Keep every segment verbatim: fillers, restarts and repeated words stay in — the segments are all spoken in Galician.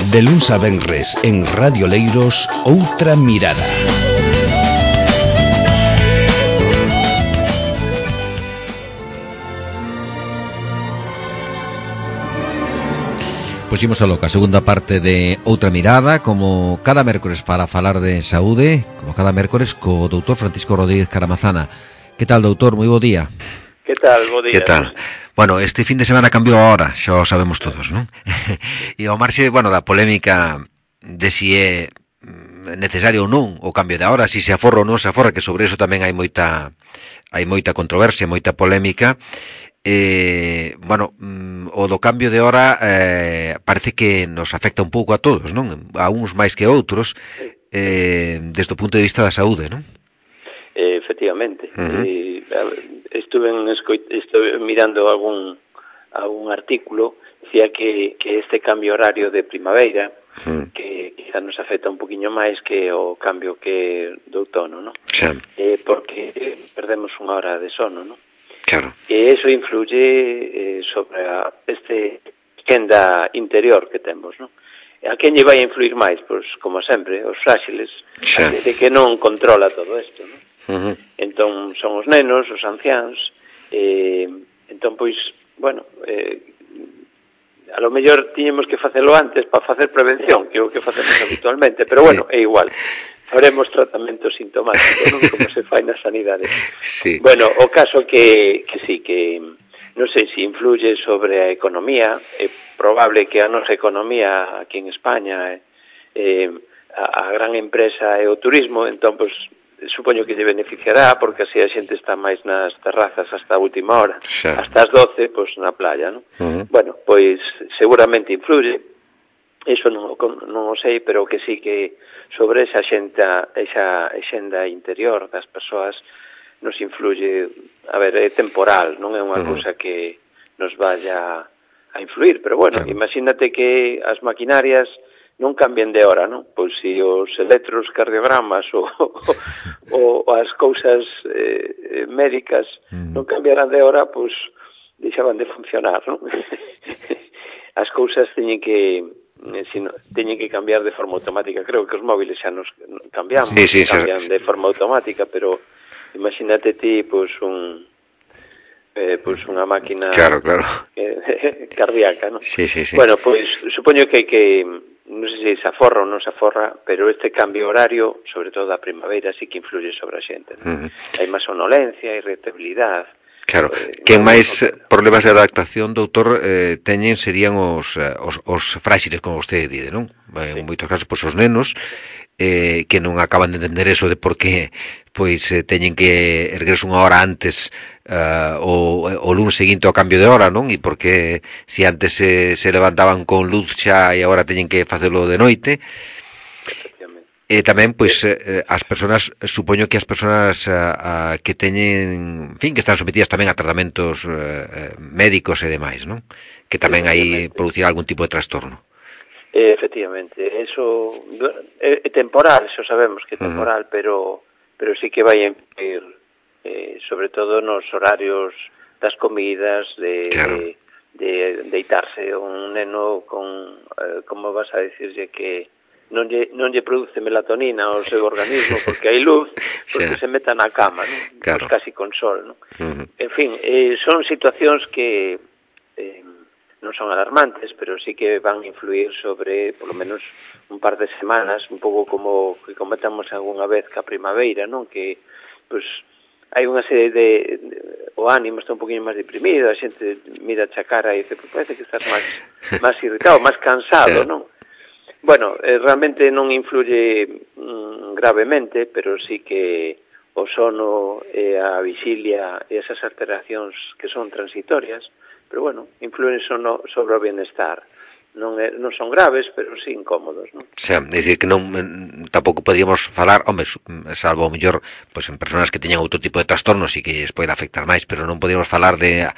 De luns a venres en Radio Leiros, Outra Mirada. Pois imos a loca, a segunda parte de Outra Mirada, como cada mércores para falar de saúde, como cada mércores co doutor Francisco Rodríguez Caramazana. Que tal, doutor? Moi bo día. Que tal? Bo día. Que tal? Bueno, este fin de semana cambiou a hora, xa o sabemos todos, non? E ao marxe, bueno, da polémica de si é necesario ou non o cambio de hora, si se aforra ou non se aforra, que sobre eso tamén hai moita hai moita controversia, moita polémica. Eh, bueno, o do cambio de hora eh, parece que nos afecta un pouco a todos, non? A uns máis que a outros, eh, desde o punto de vista da saúde, non? Eh, efectivamente. Uh-huh. eh, estuve, en escoit, estuve mirando algún algún artículo, decía que, que este cambio horario de primavera, uh-huh, que quizá nos afecta un poquinho máis que o cambio que do outono, non? Sí. Eh, porque perdemos unha hora de sono, non? Claro. E iso influye eh, sobre a, este quenda interior que temos, non? A quen lle vai a influir máis? Pois, como sempre, os fráxiles, sí, a xente que non controla todo isto, non? Uh-huh. Entón, son os nenos, os anciáns, eh, entón, pois, bueno, eh, a lo mellor tiñemos que facelo antes para facer prevención, que é o que facemos habitualmente, pero bueno, é igual. Faremos tratamento sintomático, non? Como se fai na sanidade. Sí. Bueno, o caso que, que sí, que non sei se influye sobre a economía. É probable que a nosa economía aquí en España, eh, a, a gran empresa é o turismo, entón, pois, supoño que lle beneficiará, porque así a xente está máis nas terrazas hasta a última hora, sí, hasta as doce, pois, na playa, non? Uh-huh. Bueno, pois, seguramente influye. Iso non, non o sei, pero que sí que sobre esa xenta, esa xenda interior das persoas nos influye, a ver, é temporal, non é unha uh-huh. cousa que nos vaya a influir, pero bueno, claro, imagínate que as maquinarias non cambien de hora, non? Pois se os electrocardiogramas ou, ou, ou as cousas eh, médicas uh-huh. non cambiaran de hora, pois deixaban de funcionar, non? As cousas teñen que Si no, teñen que cambiar de forma automática. Creo que os móviles xa nos cambiamos, sí, sí, cambian sí, de forma automática, pero imagínate ti, pois, un eh, pois unha máquina, claro, claro, eh, cardíaca, non? Sí, sí, sí. Bueno, pois, supoño que, que non sei se se aforra ou non se aforra, pero este cambio horario, sobre todo a primavera, sí que influye sobre a xente, non? Uh-huh. Hai máis sonolencia, irritabilidade. Claro, quen máis problemas de adaptación, doutor, eh, teñen serían os, os, os fráxiles, como vostede dide, non? En moitos casos, pois, os nenos, eh, que non acaban de entender eso de por que, pois, eh, teñen que erguerse unha hora antes uh, o, o lunes seguinte ao cambio de hora, non? E porque se antes se, se levantaban con luz xa e agora teñen que facelo de noite. E tamén, pois, eh, as persoas, supoño que as persoas a, a, que teñen, en fin, que están sometidas tamén a tratamentos eh, médicos e demais, non? Que tamén aí producirá algún tipo de trastorno. Eh, efectivamente, eso é, é temporal, eso sabemos que é temporal, uh-huh. pero pero sí que vai a influir, eh, sobre todo nos horarios das comidas, de, claro, de, de deitarse un neno con, eh, como vas a decirlle que non lle, non lle produce melatonina ao seu organismo porque hai luz, porque sí, se meta na cama, non? Claro. Pues casi con sol, non? Uh-huh. En fin, eh, son situacións que eh, non son alarmantes, pero sí que van a influir sobre, por lo menos, un par de semanas, un pouco como que comentamos algunha vez ca primavera, non? Que, pues, hai unha serie de, de... o ánimo está un poquinho máis deprimido, a xente mira a cara e dice, pues parece que estás máis, máis irritado, máis cansado, sí, non? Bueno, eh, realmente non influye mm, gravemente, pero sí que o sono e a vixilia e esas alteracións que son transitorias, pero bueno, influen sono sobre o bienestar. Non, é, non son graves, pero sí incómodos, non? O sea, é dicir que non tampouco podíamos falar, home, salvo o mellor, pois, en persoas que teñan outro tipo de trastornos e que lles pode afectar máis, pero non podíamos falar de,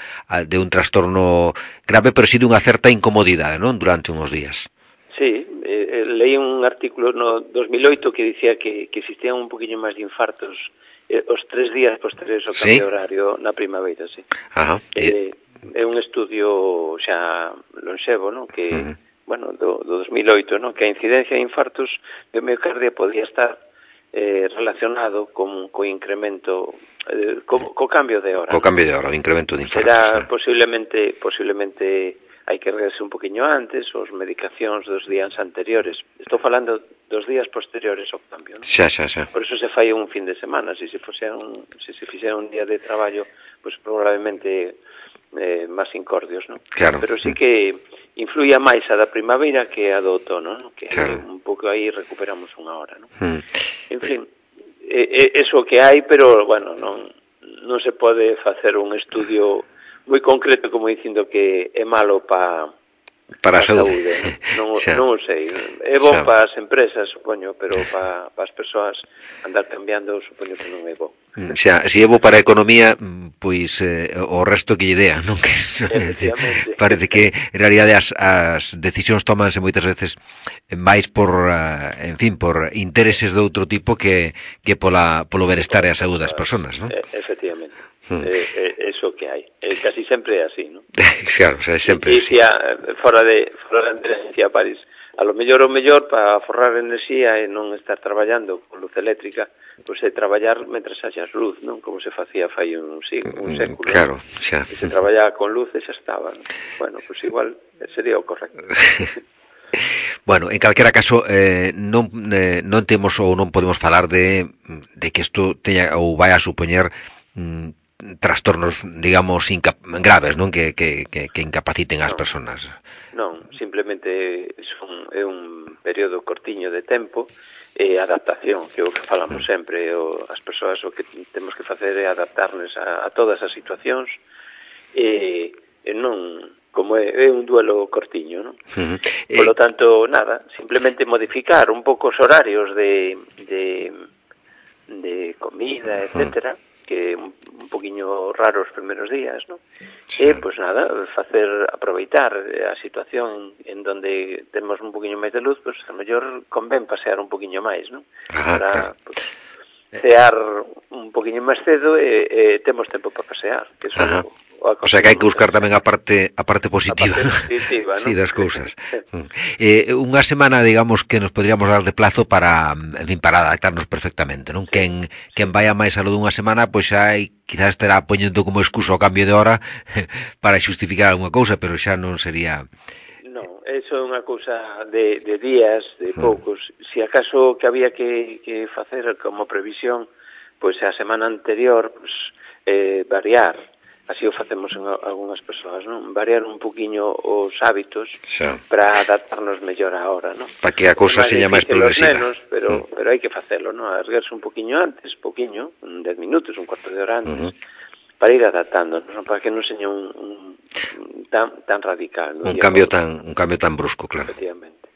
de un trastorno grave, pero sí de unha certa incomodidade, non? Durante uns días. Sí, eh, leí un artículo no dos mil oito que dicía que, que existían un poquinho máis de infartos eh, os tres días posteriores ao cambio, ¿sí?, horario na primavera, sí. Ajá. Eh, é un estudio xa lonxevo, non? Que, uh-huh. bueno, do, do dos mil oito, no? Que a incidencia de infartos de miocardia podía estar eh, relacionado con co incremento, eh, co, co cambio de hora. Co cambio de hora, o incremento de infartos. Será sí. posiblemente, posiblemente hai que regarse un poquinho antes, os medicacións dos días anteriores. Estou falando dos días posteriores ao cambio, non? Xa, xa, xa. Por eso se fai un fin de semana. Se se fose un, se se fixera un día de traballo, pues probablemente eh, máis incordios, non? Claro. Pero sí que influía máis a da primavera que a do outono, non? Que claro. un pouco aí recuperamos unha hora, non? Mm. En fin, eh, eh, eso que hai, pero, bueno, non, non se pode facer un estudio moi concreto como dicindo que é malo pa, para a saúde. saúde non, non, non o sei. É bon xa. Para as empresas, supoño, pero pa, pa as persoas andar cambiando, supoño que non é bo. Xa, se é bo para a economía, pois eh, o resto que lle dea, non? Que parece que en realidade as, as decisións tomanse moitas veces máis por, uh, en fin, por intereses de outro tipo que, que pola, polo benestar e a saúde das persoas, non? Efectivamente. Hmm. Eh, eh, eso que hai. Eh, casi sempre é así, non? Claro, o sea, sempre é así. E fora de fora de enerxía, París, a lo mellor o mellor para forrar enerxía e non estar traballando con luz eléctrica, pois é traballar mentras haxas luz, non? Como se facía fai un, un século. Claro, xa. E se traballaba con luz e xa estaba, non? Bueno, pois igual sería o correcto. Bueno, en calquera caso, eh, non, eh, non temos ou non podemos falar de, de que isto teña ou vai a supoñer mm, trastornos, digamos, incap graves, non? Que, que, que, que incapaciten as non, persoas. Non, simplemente son, é un período cortiño de tempo e adaptación, que é o que falamos sempre. O, as persoas o que temos que facer é adaptarnos a, a todas as situacións e, e non, como é, é un duelo cortiño, non? Uh -huh. Por lo tanto, nada, simplemente modificar un pouco os horarios de, de, de comida, etcétera, uh -huh. que un, un poquinho raro os primeiros días, ¿no? Sí. E, pois nada, facer, aproveitar a situación en donde temos un poquinho máis de luz, pois a mellor convén pasear un poquinho máis, ¿no? Ah, para claro. Pues, cear un poquinho máis cedo e, e temos tempo para pasear, que eso Ajá. o, o, o sea que hai que buscar tamén a parte a parte positiva, a parte positiva, ¿no? Sí, das cousas. eh, unha semana, digamos, que nos podríamos dar de plazo para, en fin, para adaptarnos perfectamente, non? Sí. Quen, quen vaya máis a lo dunha semana, pois xa hai, quizás estará poñendo como excusa o cambio de hora para xustificar alguna cousa, pero xa non sería... Non, eso é unha cousa de, de días, de poucos. Mm. Si acaso que había que, que facer como previsión, pois a semana anterior, pois, eh, variar, así o facemos en algunhas persoas, non? Variar un poquinho os hábitos xa. Para adaptarnos mellor a hora, non? Para que a cousa seña máis progresiva. Nenos, pero, mm. pero hai que facelo, non? Arriesgarse un poquinho antes, poquinho, un dez minutos, un cuarto de hora antes, uh -huh. para ir adaptando, non? Para que non seña un, un tan tan radical, ¿no? Un cambio tan un cambio tan brusco, claro. Efectivamente.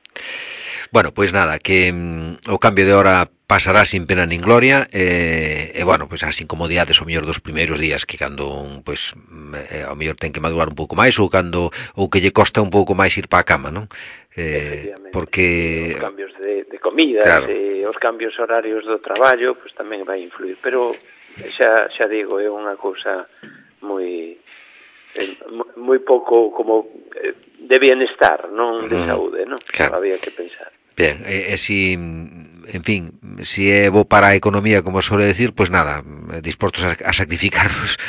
Bueno, pois pues nada, que mm, o cambio de hora pasará sin pena nin gloria, e, eh, eh, bueno, pois pues as incomodidades o mellor dos primeiros días, que cando pois pues, eh, o mellor ten que madurar un pouco máis, ou cando ou que lle costa un pouco máis ir para a cama, non? Eh, porque os cambios de, de comida, claro. E os cambios horarios do traballo, pois pues, tamén vai influir, pero xa xa digo, é unha cousa moi eh, moi pouco como eh, de bienestar, non de saúde, non? Claro. Había que pensar. Bien, e, e si, en fin, si é bo para a economía, como suele decir, pois pues nada, dispostos a, a sacrificarnos,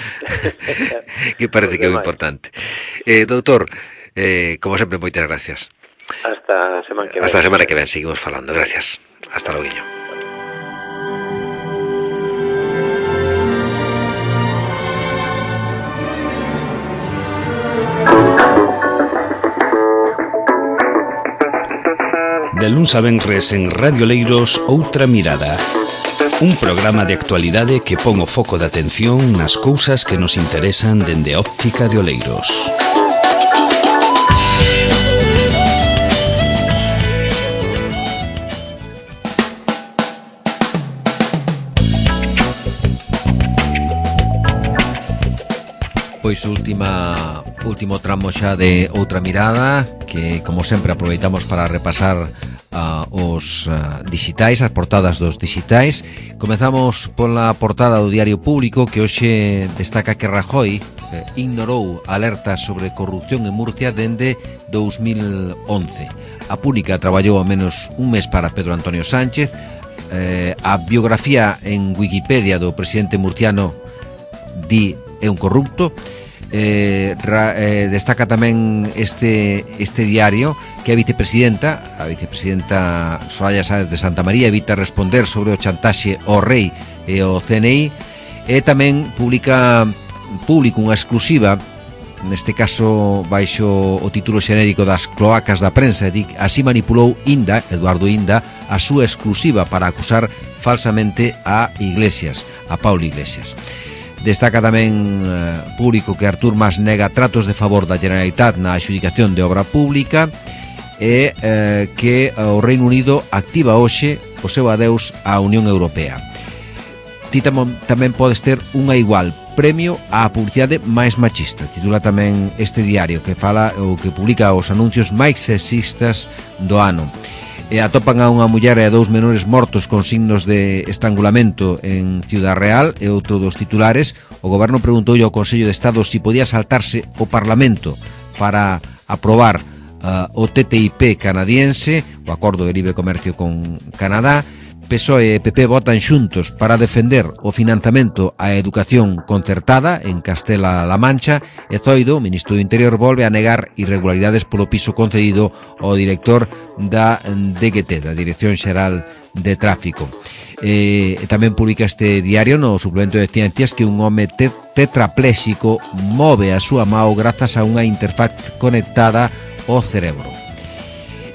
que parece que é moi importante. Eh, doutor, eh, como sempre, moitas gracias. Hasta a semana que ven. Hasta a semana que ven, seguimos falando. Gracias. Hasta logo. De luns a venres en Radio Leiros, Outra Mirada. Un programa de actualidade que pon o foco de atención nas cousas que nos interesan dende a óptica de Oleiros. Pois última último tramo xa de Outra Mirada, que como sempre aproveitamos para repasar uh, os uh, dixitais, as portadas dos dixitais. Comezamos pola portada do Diario Público, que hoxe destaca que Rajoy eh, ignorou alertas sobre corrupción en Murcia dende dous mil once. A Púnica traballou ao menos un mes para Pedro Antonio Sánchez. eh, a biografía en Wikipedia do presidente murciano di é un corrupto. Eh, ra, eh, destaca tamén este este diario que a vicepresidenta a vicepresidenta Soraya Sáenz de Santa María evita responder sobre o chantaxe ao rei e ao C N I, e tamén publica público unha exclusiva, neste caso baixo o título xenérico das cloacas da prensa. Así manipulou Inda, Eduardo Inda, a súa exclusiva para acusar falsamente a Iglesias, a Pablo Iglesias. Destaca tamén eh, público que Artur Mas nega tratos de favor da Generalitat na adxudicación de obra pública, e eh, que o Reino Unido activa hoxe o seu adeus á Unión Europea. Ti tamén podes ter unha igual premio á publicidade máis machista, titula tamén este diario, que fala o que publica os anuncios máis sexistas do ano. E atopan a unha muller e a dous menores mortos con signos de estrangulamento en Ciudad Real. E outro dos titulares: o goberno preguntou ao Consello de Estado si podía saltarse o Parlamento para aprobar uh, o T T I P canadiense, o Acordo de Libre Comercio con Canadá. P S O E e P P votan xuntos para defender o financiamento á educación concertada en Castela-La Mancha, e Zoido, o ministro do Interior, volve a negar irregularidades polo piso concedido ao director da D G T, da Dirección Xeral de Tráfico. E tamén publica este diario no suplemento de Ciencias que un home te tetrapléxico move a súa mao grazas a unha interfaz conectada ao cerebro.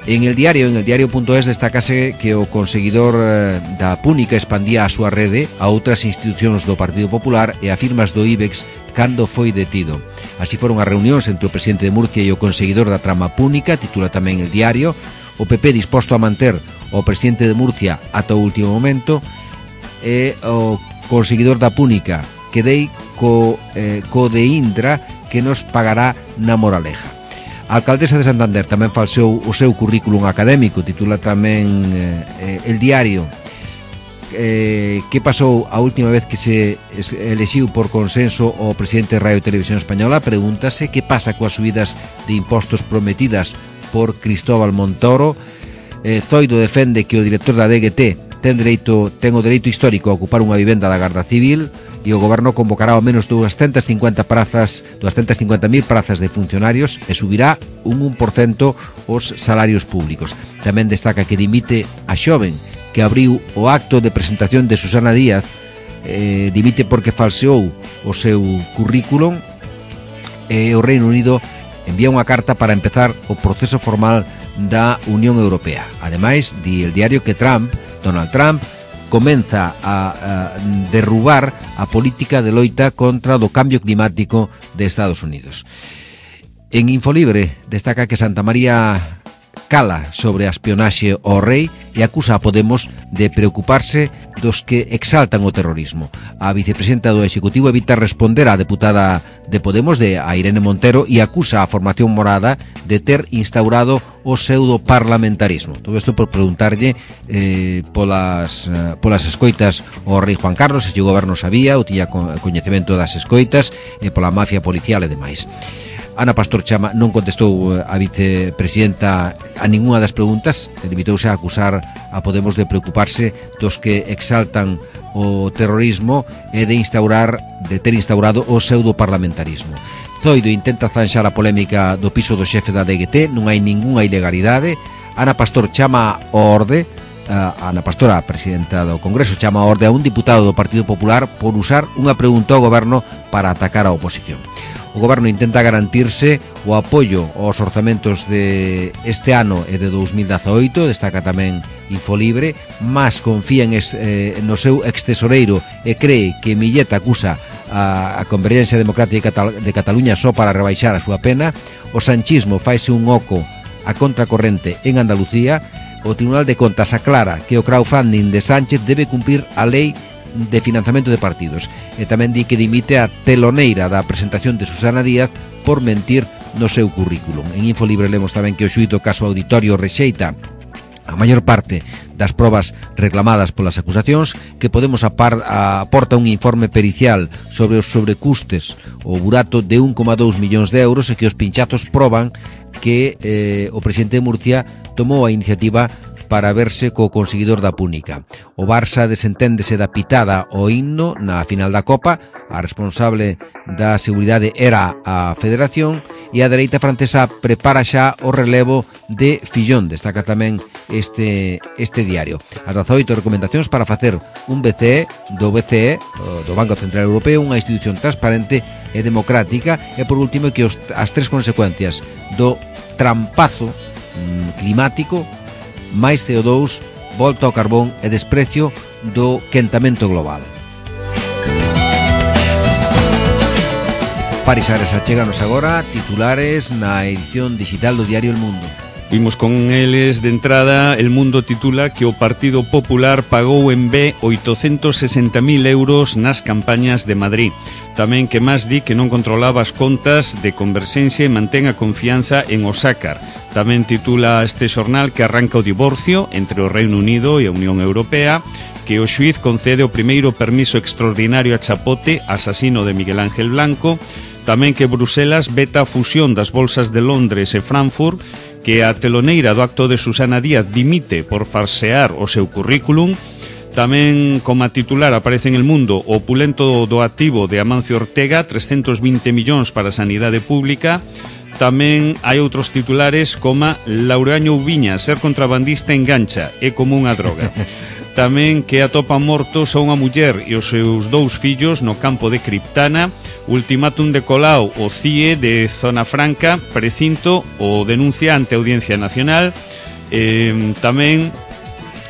En el diario, en el diario.es, destacase que o conseguidor eh, da Púnica expandía a súa rede a outras institucións do Partido Popular e a firmas do IBEX cando foi detido. Así foron as reunións entre o presidente de Murcia e o conseguidor da trama Púnica, titula tamén el diario. O P P disposto a manter o presidente de Murcia ata o último momento, e o conseguidor da Púnica quedei co, eh, co de Indra que nos pagará na Moraleja. A alcaldesa de Santander tamén falseou o seu currículum académico, titula tamén eh, el diario. Eh, que pasou a última vez que se elexiu por consenso o presidente de Radio e Televisión Española? Pregúntase que pasa coas subidas de impostos prometidas por Cristóbal Montoro. eh, Zoido defende que o director da D G T ten dereito, ten o dereito histórico a ocupar unha vivenda da Garda Civil, e o goberno convocará ao menos doscientas cincuenta prazas, doscientas cincuenta mil prazas de funcionarios, e subirá un un por cento os salarios públicos. Tamén destaca que dimite a xoven que abriu o acto de presentación de Susana Díaz, eh, dimite porque falseou o seu currículum, e o Reino Unido envía unha carta para empezar o proceso formal da Unión Europea. Ademais, di el diario que Trump, Donald Trump, comeza a, a derrubar a política de loita contra o cambio climático de Estados Unidos. En Infolibre destaca que Santa María cala sobre a espionaxe ao rei e acusa a Podemos de preocuparse dos que exaltan o terrorismo. A vicepresidenta do Executivo evita responder á deputada de Podemos, de a Irene Montero, e acusa a formación morada de ter instaurado o pseudo-parlamentarismo. Todo isto por preguntarlle eh, polas, eh, polas escoitas ao rei Juan Carlos, se o goberno sabía ou tiña coñecemento das escoitas, e pola mafia policial e demais. Ana Pastor Chama non contestou a vicepresidenta a ninguna das preguntas, limitouse a acusar a Podemos de preocuparse dos que exaltan o terrorismo e de instaurar de ter instaurado o pseudo-parlamentarismo. Zoido intenta zanxar a polémica do piso do xefe da D G T, non hai ningunha ilegalidade. Ana Pastor chama ao orde, a Ana Pastor, a presidenta do Congreso, chama a orde a un diputado do Partido Popular por usar unha pregunta ao goberno para atacar a oposición. O goberno intenta garantirse o apoio aos orzamentos de este ano e de dous mil dezaoito, destaca tamén Infolibre, mas confía en es, eh, no seu extesoreiro e cree que Millet acusa a, a Convergencia Democrática de, Catal de Cataluña só para rebaixar a súa pena. O sanchismo faise un oco a contracorrente en Andalucía. O Tribunal de Contas aclara que o crowdfunding de Sánchez debe cumprir a lei de financiamento de partidos, e tamén di que dimite a teloneira da presentación de Susana Díaz por mentir no seu currículum. En Infolibre lemos tamén que o xuíz do caso Auditorio rexeita a maior parte das probas reclamadas polas acusacións, que Podemos apar, aporta un informe pericial sobre os sobrecustes, o burato de un coma dous millóns de euros, e que os pinchazos proban que eh, o presidente de Murcia tomou a iniciativa para verse co conseguidor da púnica. O Barça desenténdese da pitada o himno na final da Copa, a responsable da seguridade era a Federación, e a dereita francesa prepara xa o relevo de Fillón, destaca tamén este, este diario. As dezaoito recomendacións para facer un B C E do B C E, do Banco Central Europeo, unha institución transparente e democrática, e por último que os, as tres consecuencias do trampazo mm, climático, máis C O dous, volta ao carbón e desprecio do quentamento global. Paris Ares, achéganos agora titulares na edición digital do diario El Mundo. Vimos con eles de entrada. El Mundo titula que o Partido Popular pagou en B oitocentos sesenta mil euros nas campañas de Madrid. Tamén que máis di que non controlaba as contas de Converxencia e mantén a confianza en Osácar. Tamén titula este xornal que arranca o divorcio entre o Reino Unido e a Unión Europea, que o xuiz concede o primeiro permiso extraordinario a Chapote, asasino de Miguel Ángel Blanco. Tamén que Bruselas veta a fusión das bolsas de Londres e Frankfurt, que a teloneira do acto de Susana Díaz dimite por farsear o seu currículum. Tamén, como titular, aparece en El Mundo o opulento doativo de Amancio Ortega, trescentos vinte millóns para a sanidade pública. Tamén hai outros titulares como Laureano Viña, ser contrabandista engancha, é como unha droga. Tamén que atopa mortos a unha muller e os seus dous fillos no campo de Criptana. Ultimátum de Colau, o C I E de Zona Franca, precinto o denuncia ante a Audiencia Nacional. eh, Tamén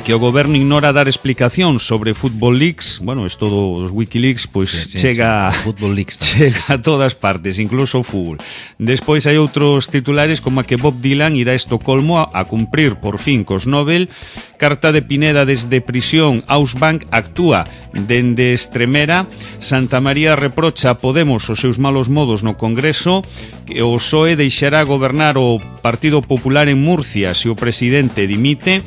que o goberno ignora dar explicación sobre Football Leaks. Bueno, isto dos Wikileaks pois sí, sí, chega, sí, Football Leaks chega a todas partes, incluso o fútbol. Despois hai outros titulares como a que Bob Dylan irá a Estocolmo a, a cumprir por fin cos Nobel. Carta de Pineda desde prisión, Ausbank actúa dende Estremera. Santa María reprocha a Podemos os seus malos modos no Congreso. Que o P S O E deixará gobernar o Partido Popular en Murcia se o presidente dimite.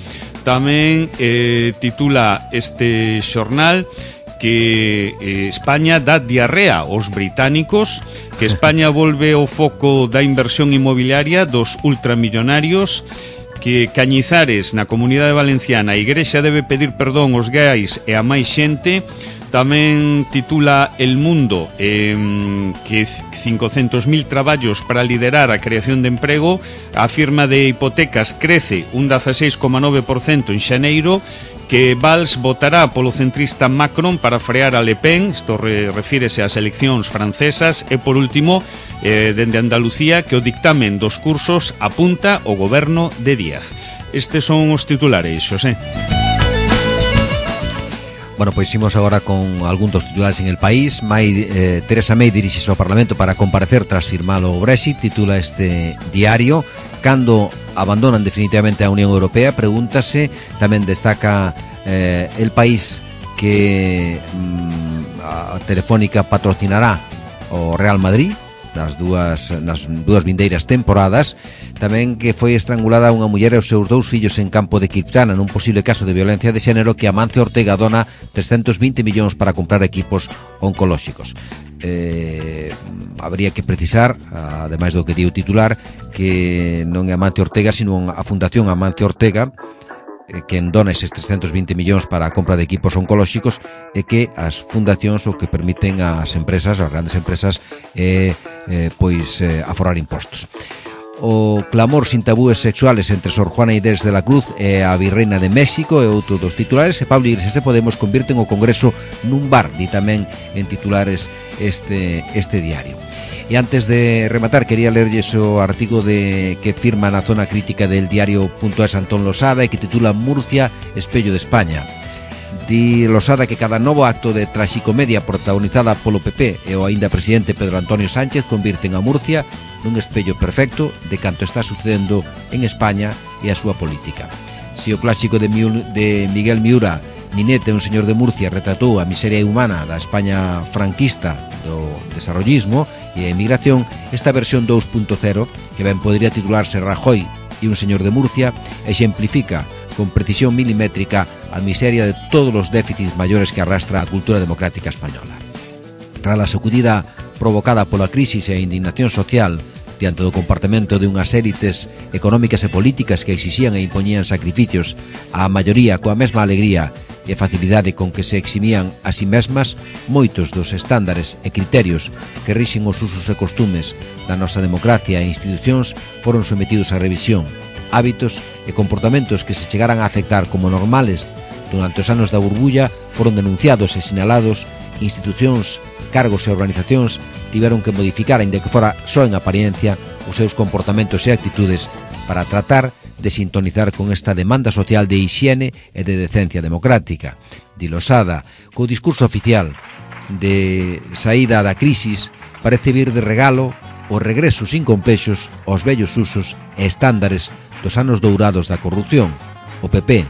Tamén eh, titula este xornal que eh, España dá diarrea aos británicos, que España volve ao foco da inversión inmobiliaria dos ultramillonarios, que Cañizares na Comunidade Valenciana a Igrexa debe pedir perdón aos gais e a máis xente. Tamén titula El Mundo eh, que cincocentos mil traballos para liderar a creación de emprego. A firma de hipotecas crece un dieciséis coma nove por cento en xaneiro. Que Valls votará polo centrista Macron para frear a Le Pen. Isto re, refírese ás eleccións francesas. E por último, eh, dende Andalucía, que o dictamen dos cursos apunta o goberno de Díaz. Estes son os titulares, Xosé. Bueno, pois imos agora con algún dos titulares en El País. May, eh, Teresa May dirixese ao Parlamento para comparecer tras firmar o Brexit, titula este diario. Cando abandonan definitivamente a Unión Europea, pregúntase. Tamén destaca eh, El País que mm, a Telefónica patrocinará o Real Madrid nas dúas, nas dúas vindeiras temporadas. Tamén que foi estrangulada unha muller e os seus dous fillos en campo de Criptana nun posible caso de violencia de xénero, que Amancio Ortega dona trescentos vinte millóns para comprar equipos oncolóxicos. Eh, habría que precisar, ademais do que di o titular, que non é Amancio Ortega, sino a Fundación Amancio Ortega quen dona eses trescentos vinte millóns para a compra de equipos oncolóxicos, e que as fundacións o que permiten ás empresas, as grandes empresas, é eh, pois eh, aforrar impostos. O clamor sin tabúes sexuales entre Sor Juana Inés de la Cruz e a Virreina de México é outro dos titulares. E Pablo Iglesias de Podemos convirten o Congreso nun bar, di tamén en titulares este, este diario. E antes de rematar, quería lerlles o artigo de que firma na zona crítica del diario.es Antón Losada e que titula Murcia, espello de España. Di Losada que cada novo acto de traxicomedia protagonizada polo P P e o aínda presidente Pedro Antonio Sánchez convirten a Murcia nun espello perfecto de canto está sucedendo en España e a súa política. Si o clásico de, Miul, de Miguel Miura, Ninete, un señor de Murcia, retratou a miseria humana da España franquista do desarrollismo e a emigración, esta versión dos punto cero, que ben podría titularse Rajoy e un señor de Murcia, exemplifica con precisión milimétrica a miseria de todos os déficits maiores que arrastra a cultura democrática española. Tras a sacudida provocada pola crisis e a indignación social diante do comportamento de unhas élites económicas e políticas que exixían e impoñían sacrificios, a maioría coa mesma alegría e facilidade con que se eximían a si mesmas, moitos dos estándares e criterios que rixen os usos e costumes da nosa democracia e institucións foron sometidos a revisión. Hábitos e comportamentos que se chegaran a aceptar como normales durante os anos da burbulla foron denunciados e sinalados. Institucións, cargos e organizacións tiveron que modificar, aínda que fora só en apariencia, os seus comportamentos e actitudes para tratar de sintonizar con esta demanda social de hixiene e de decencia democrática. Dilosada co discurso oficial de saída da crisis, parece vir de regalo o regreso sin complexos aos vellos usos e estándares dos anos dourados da corrupción. O P P,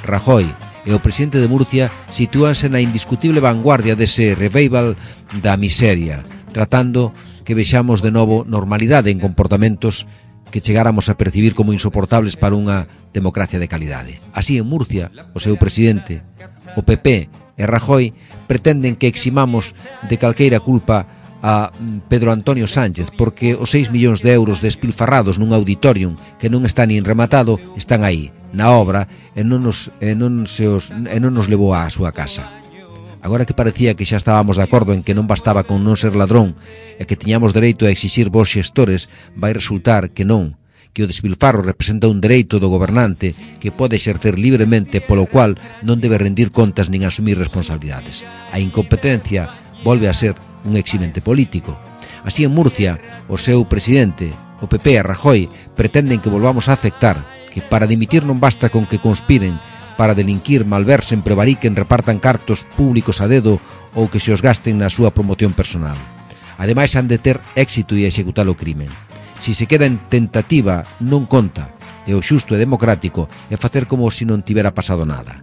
Rajoy e o presidente de Murcia sitúanse na indiscutible vanguardia dese revival da miseria, tratando que vexamos de novo normalidade en comportamentos que chegáramos a percibir como insoportables para unha democracia de calidade. Así, en Murcia, o seu presidente, o P P e Rajoy pretenden que eximamos de calqueira culpa a Pedro Antonio Sánchez, porque os seis millóns de euros despilfarrados nun auditorium que non está nin rematado están aí, na obra, e non nos, e non se os, e non nos levou á súa casa. Agora que parecía que xa estábamos de acordo en que non bastaba con non ser ladrón e que tiñamos dereito a exixir vos xestores, vai resultar que non, que o despilfarro representa un dereito do gobernante que pode exercer libremente, polo cual non debe rendir contas nin asumir responsabilidades. A incompetencia volve a ser un eximente político. Así, en Murcia, o seu presidente, o P P e Rajoy, pretenden que volvamos a aceptar que para dimitir non basta con que conspiren para delinquir, malversen, prevariquen, repartan cartos públicos a dedo ou que se os gasten na súa promoción personal. Ademais, han de ter éxito e executar o crimen. Si se queda en tentativa, non conta, e o xusto e democrático é facer como se non tivera pasado nada.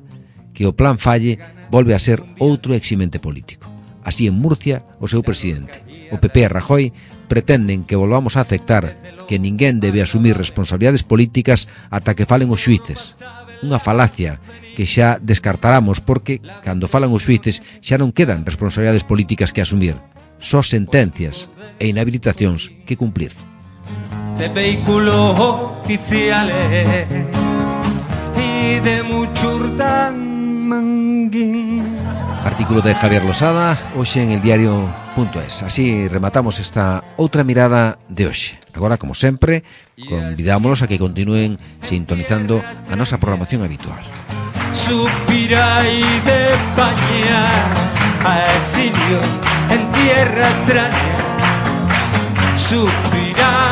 Que o plan falle volve a ser outro eximente político. Así, en Murcia, o seu presidente, o P P e Rajoy, pretenden que volvamos a aceptar que ninguén debe asumir responsabilidades políticas ata que falen os xuíces. Unha falacia que xa descartaramos porque, cando falan os xuíces, xa non quedan responsabilidades políticas que asumir, só sentencias e inhabilitacións que cumplir. De vehículos oficiales y de Muchurdán Manguín. Artículo de Javier Losada, hoxe en el diario punto es. Así rematamos esta outra mirada de hoxe. Agora, como sempre, convidámonos a que continúen sintonizando a nosa programación habitual. Suspira y de España a exilio en tierra extraña. Suspira